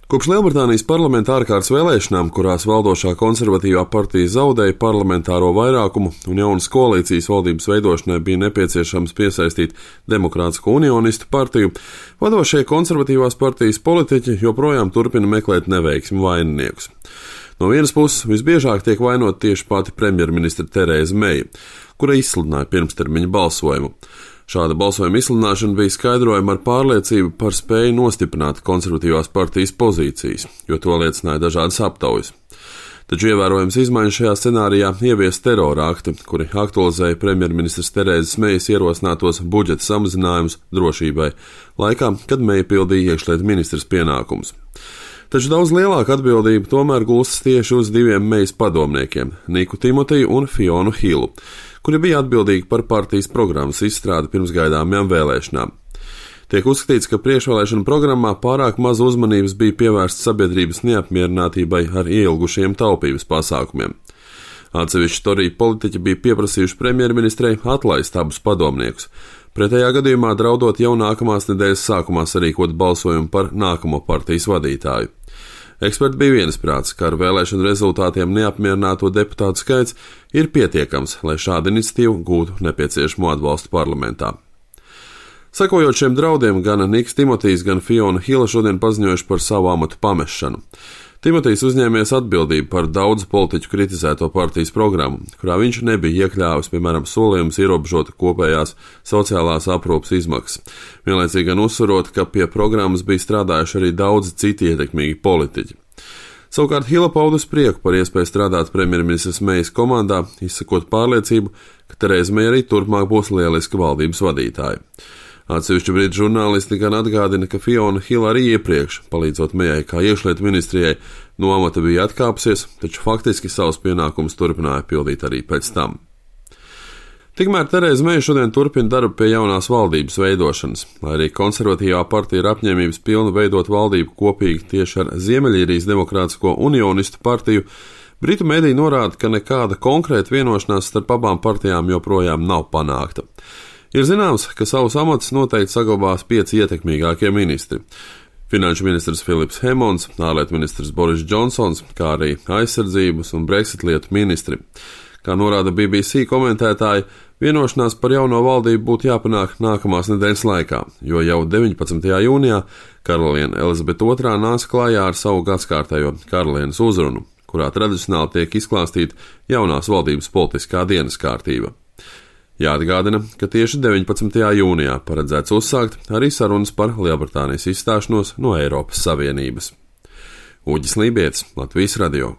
Kopš Lielbritānijas parlamenta ārkārtas vēlēšanām, kurās valdošā konservatīvā partija zaudēja parlamentāro vairākumu un jaunas koalīcijas valdības veidošanai bija nepieciešams piesaistīt Demokrātisko unionistu partiju, vadošie konservatīvās partijas politiķi joprojām turpina meklēt neveiksmi vaininiekus. No vienas puses visbiežāk tiek vainot tieši pati premjerministra Terēza Meija, kura izsludināja pirmstermiņa balsojumu. Šāda balsojuma izsludināšana bija skaidrojama ar pārliecību par spēju nostiprināt konservatīvās partijas pozīcijas, jo to liecināja dažādas aptaujas. Taču ievērojams izmaiņas šajā scenārijā ievies terora akti, kuri aktualizēja premjerministras Terēzes Meijas ierosinātos budžeta samazinājumus drošībai, laikā, kad Meija pildīja iekšlietu ministras pienākumus. Taču daudz lielāka atbildība tomēr gulstas tieši uz diviem Meijas padomniekiem – Niku Timotiju un Fionu Hillu, kuri bija atbildīgi par partijas programmas izstrādi pirms gaidāmajām vēlēšanām. Tiek uzskatīts, ka priekšvēlēšana programmā pārāk maz uzmanības bija pievērsta sabiedrības neapmierinātībai ar ieilgušiem taupības pasākumiem. Atsevišķi Toriju politiķi bija pieprasījuši premjerministrei atlaist abus padomniekus, pretējā gadījumā draudot jau nākamās nedēļas sākumā sarīkot balsojumu par nākamo partijas vadītāju. Eksperti bija viensprāts, ka ar vēlēšanu rezultātiem neapmierināto deputātu skaits ir pietiekams, lai šādu iniciatīvu gūtu nepieciešamo atbalstu parlamentā. Sekojot šiem draudiem, gan Niks Timotijs, gan Fiona Hilla šodien paziņojuši par savu amatu pamešanu. Timotijs uzņēmies atbildību par daudzu politiķu kritizēto partijas programmu, kurā viņš nebija iekļāvis, piemēram, solījumus ierobežot kopējās sociālās aprūpes izmaksas, vienlaicīgi gan uzsverot, ka pie programmas bija strādājuši arī daudzi citi ietekmīgi politiķi. Savukārt Hilla paudus prieku par iespēju strādāt premjerministras Meijas komandā, izsakot pārliecību, ka Terēza Meija arī turpmāk būs lieliska valdības vadītāja. Atsevišķi brīdi žurnālisti gan atgādina, ka Fiona Hilla arī iepriekš, palīdzot Meijai kā iekšlietu ministrijai, no amata bija atkāpsies, taču faktiski savus pienākumus turpināja pildīt arī pēc tam. Tikmēr Terēza Meija šodien turpina darbu pie jaunās valdības veidošanas, lai arī konservatīvā partija ir apņēmības pilna veidot valdību kopīgi tieši ar Ziemeļīrijas Demokrātisko unionistu partiju. Britu mediji norāda, ka nekāda konkrēta vienošanās starp abām partijām joprojām nav panākta. Ir zināms, ka savus amatus noteikti saglabās 5 ietekmīgākie ministri. Finanšu ministrs Filips Hemons, ārlietu ministrs Boris Džonsons, kā arī aizsardzības un Brexit lietu ministri. Kā norāda BBC komentētāji, vienošanās par jauno valdību būtu jāpanāk nākamās nedēļas laikā, jo jau 19. jūnijā karaliene Elizabete II nāca klājā ar savu gadskārtējo karalienes uzrunu, kurā tradicionāli tiek izklāstīta jaunās valdības politiskā dienas kārtība. Jāatgādina, ka tieši 19. jūnijā paredzēts uzsākt arī sarunas par Lielbritānijas izstāšanos no Eiropas Savienības. Uģis Lībietis, Latvijas radio.